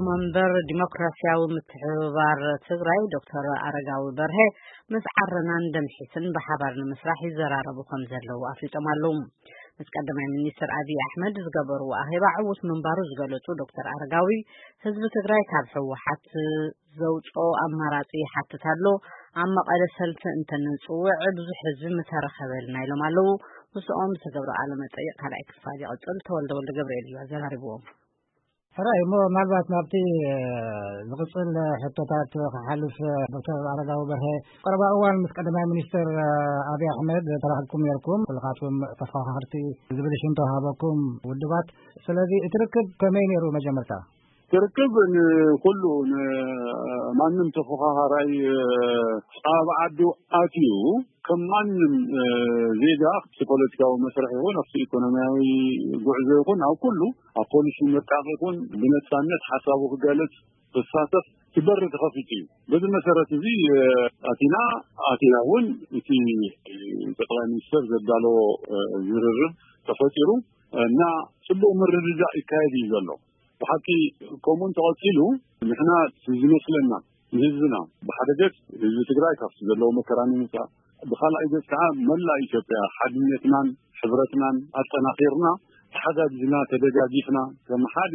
መንበር ዲሞክራሲያዊ ምትሕብባር ትግራይ ዶክተር ኣረጋዊ በርሀ ምስ ዓረናን ደምሒትን ብሓባር ንምስራሕ ይዘራረቡ ከም ዘለዉ ኣፍሊጦም ኣለዉ። ምስ ቀዳማይ ሚኒስትር ኣብይ ኣሕመድ ዝገበርዎ ኣኼባ ዕዉት ምንባሩ ዝገለጹ ዶክተር ኣረጋዊ፣ ህዝቢ ትግራይ ካብ ህወሓት ዘውፅኦ ኣማራፂ ይሓትት ኣሎ፣ ኣብ መቐለ ሰልፊ እንተንፅውዕ ብዙሕ ህዝቢ ምተረኸበልና ኢሎም ኣለዉ። ምስኦም ዝተገብረ ቃለ መጠይቕ ካልኣይ ክፋል ይቕፅል። ተወልደ ወልደ ገብርኤል እዩ ኣዘራሪብዎም። ሕራይ እሞ ምናልባት ናብቲ ዝቕፅል ሕቶታት ክሓልፍ፣ ዶክተር ኣረጋዊ በርሀ፣ ቀረባ እዋን ምስ ቀዳማይ ሚኒስትር ኣብይ ኣሕመድ ተራኺብኩም ነርኩም። ኩልኻትኩም ተፎኻኸርቲ ዝብል ሽም ተዋሃበኩም ውድባት። ስለዚ እቲ ርክብ ከመይ ነይሩ? መጀመርታ ትርክብ ንኩሉ ንማንም ተፎኻኻራይ ኣብ ዓዱ ኣትዩ ከም ማንም ዜጋ ኣብቲ ፖለቲካዊ መስርሕ ይኹን ኣብቲ ኢኮኖሚያዊ ጉዕዞ ይኹን ኣብ ኩሉ ኣብ ፖሊሲ ምርቃቕ ይኹን ብነፃነት ሓሳቡ ክገልፅ ክሳተፍ እቲ በሪ ተኸፊቱ እዩ። በዚ መሰረት እዚ ኣቲና ኣቲና እውን እቲ ጠቅላይ ሚኒስትር ዘዳለዎ ዝርርብ ተፈጢሩ እና ፅቡቅ ምርድዳእ ይካየድ እዩ ዘሎ። ብሓቂ ከምኡ እንተቐፂሉ ንሕና ዝመስለና ንህዝብና ብሓደ ገፅ ህዝቢ ትግራይ ካብቲ ዘለዎ መከራ ንምውፃእ፣ ብካልኣይ ገፅ ከዓ መላእ ኢትዮጵያ ሓድነትናን ሕብረትናን ኣጠናኺርና ተሓጋጊዝና ተደጋጊፍና ከም ሓደ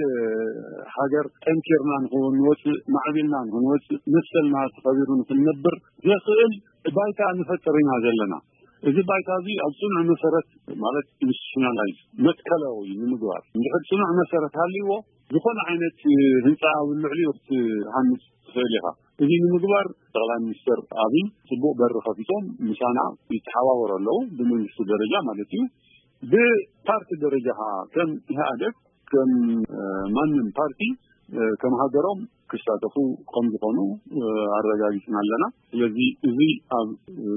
ሃገር ጠንኪርና ንክንወፅእ ማዕቢልና ንክንወፅእ መሰልና ተኸቢሩ ንክንነብር ዘኽእል ባይታ ንፈጥር ኢና ዘለና። እዚ ባይታ እዚ ኣብ ፅኑዕ መሰረት ማለት ኢንስቲቱሽናላይዝ መትከላዊ ንምግባር እንድሕር ፅኑዕ መሰረት ሃልይዎ ዝኾነ ዓይነት ህንፃ ኣብ ልዕሊኡ ክትሃንፅ ትኽእል ኢኻ። እዚ ንምግባር ጠቅላይ ሚኒስትር ኣብይ ፅቡቅ በሪ ከፊቶም ምሳና ይተሓባበሩ ኣለዉ ብመንግስቲ ደረጃ ማለት እዩ። ብፓርቲ ደረጃ ከዓ ከም ኢህኣደግ ከም ማንም ፓርቲ ከም ሃገሮም ክሳተፉ ከም ዝኾኑ ኣረጋጊፅና ኣለና። ስለዚ እዚ ኣብ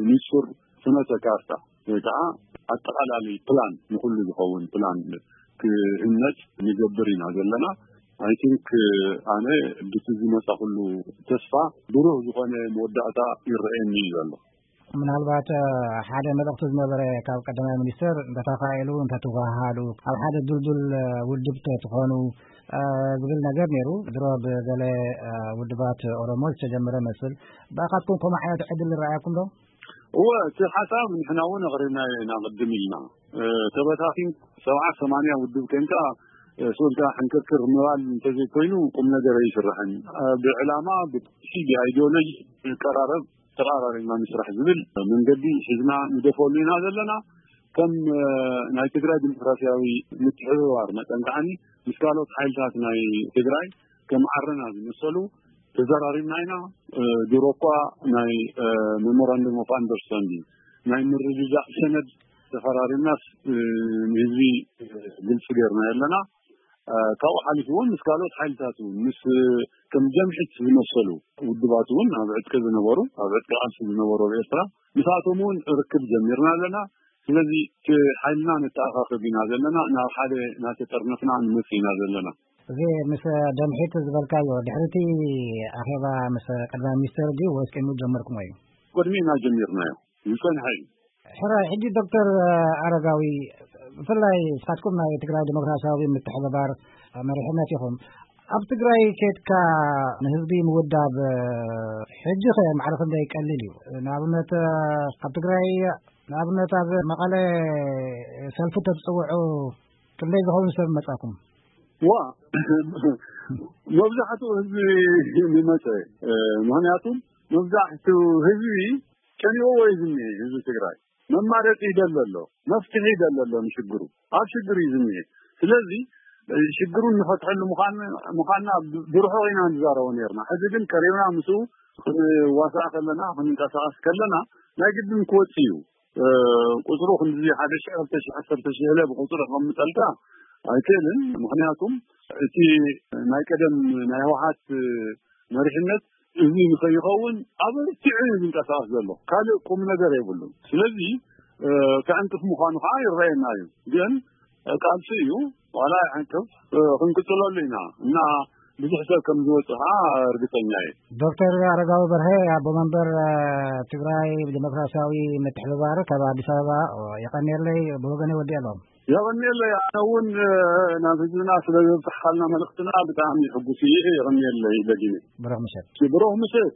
ንፁር ፍኖተ ካርታ ወይ ከዓ ኣጠቃላሊ ፕላን ንኩሉ ዝኸውን ፕላን ክህነፅ ንገብር ኢና ዘለና። ኣይ ቲንክ ኣነ ብቲ ዝመፃ ኩሉ ተስፋ ብሩህ ዝኾነ መወዳእታ ይረአየኒ እዩ ዘሎ። ምናልባት ሓደ መልእኽቲ ዝነበረ ካብ ቀዳማይ ሚኒስትር እንተተኻኢሉ እንተትወሃሃዱ ኣብ ሓደ ድልዱል ውድብ ትኾኑ ዝብል ነገር ነይሩ። ድሮ ብገለ ውድባት ኦሮሞ ዝተጀመረ መስል ብኣኻትኩም ከምኡ ዓይነት ዕድል ይረኣየኩም ዶ? እወ፣ እቲ ሓሳብ ንሕና እውን ኣቕሪብናዮ ኢና ቅድም ኢልና። ተበታቲን ሰብዓ ሰማንያ ውድብ ኮንካ ስኡልካ ሕንክርክር ምባል እንተዘይኮይኑ ቁም ነገር ኣይስራሕን። ብዕላማ ብፖሊሲ ብኣይዲዮሎጂ ንቀራረብ ተቐራሪብና ንስራሕ ዝብል መንገዲ ሒዝና ንደፈሉ ኢና ዘለና። ከም ናይ ትግራይ ዲሞክራሲያዊ ምትሕብባር መጠን ከዓኒ ምስ ካልኦት ሓይልታት ናይ ትግራይ ከም ዓረና ዝመሰሉ ተዘራሪብና ኢና። ድሮ እኳ ናይ ሜሞራንደም ኦፍ ኣንደርስታንዲንግ ናይ ምርድዳእ ሰነድ ተፈራሪምናስ ንህዝቢ ግልፂ ገይርና ኣለና። ካብኡ ሓሊፉ እውን ምስ ካልኦት ሓይልታት እውን ምስ ከም ጀምዒት ዝመሰሉ ውድባት እውን ኣብ ዕጥቂ ዝነበሩ ኣብ ዕጥቂ ቃልሲ ዝነበሩ ኣብ ኤርትራ ምስኣቶም እውን ርክብ ጀሚርና ኣለና። ስለዚ እቲ ሓይልና ነተኣኻኽብ ኢና ዘለና፣ ናብ ሓደ እናተጠርነፍና ንመፅእ ኢና ዘለና። እዚ ምስ ደምሒት ዝበልካዮ ድሕሪ እቲ ኣኼባ ምስ ቀዳማይ ሚኒስትር ድዩ ወይስ ቅድሚኡ ጀመርኩሞ እዩ? ቅድሚኡ ኢና ጀሚርናዮ፣ ዝፀንሐ እዩ። ሕራይ፣ ሕጂ ዶክተር ኣረጋዊ፣ ብፍላይ ንስኻትኩም ናይ ትግራይ ዲሞክራሲያዊ ምትሕብባር መሪሕነት ኢኹም። ኣብ ትግራይ ኬድካ ንህዝቢ ምውዳብ ሕጂ ከ ማዕረ ክንደይ ቀሊል እዩ? ንኣብነት ኣብ ትግራይ ንኣብነት ኣብ መቐለ ሰልፊ ተትፅውዑ ክንደይ ዝኸውን ሰብ መጻኩም? ዋ መብዛሕትኡ ህዝቢ ዝመፀ ምክንያቱ መብዛሕትኡ ህዝቢ ጨኒቕዎ እዩ ዝኒሀ ህዝቢ ትግራይ። መማረፂ ይደሊ ኣሎ፣ መፍትሒ ይደሊ ኣሎ ንሽግሩ፣ ኣብ ሽግር እዩ ዝኒሀ። ስለዚ ሽግሩ እንፈትሐሉ ምዃንና ብርሑቕ ኢና ንዛረቦ ነርና። ሕዚ ግን ቀሪብና ምስኡ ክንዋሳእ ከለና ክንንቀሳቐስ ከለና ናይ ግድን ክወፅእ እዩ። ቁፅሩ ክንዚ ሓደ ሺሕ ክልተ ሺሕ ዓሰርተ ሺሕ ኢለ ብቁፅሪ ከቐምጠልካ ኣይክእልን። ምክንያቱም እቲ ናይ ቀደም ናይ ህወሓት መሪሕነት እዚ ንከይኸውን ኣበርቲዑ እዩ ዝንቀሳቀስ ዘሎ። ካልእ ቁም ነገር የብሉን። ስለዚ ከዕንቅፍ ምዃኑ ከዓ ይረአየና እዩ። ግን ቃልሲ እዩ፣ ዋላ ይዕንቅፍ፣ ክንቅፅለሉ ኢና እና ብዙሕ ሰብ ከም ዝወፅእ ከዓ እርግፀኛ እየ። ዶክተር ኣረጋዊ በርሀ ኣቦ መንበር ትግራይ ዲሞክራሲያዊ ምትሕብባር ካብ ኣዲስ ኣበባ፣ የቐንየለይ። ብወገነ ወዲእ ኣለኹ። የቐንየለይ። ኣነ እውን ናብ ህዝብና ስለ ዘብፅሕካልና መልእኽትና ብጣዕሚ ሕጉስ እየ። የቐንየለይ ደጊመ። ብሩኽ ምሸት። ብሩኽ ምሸት።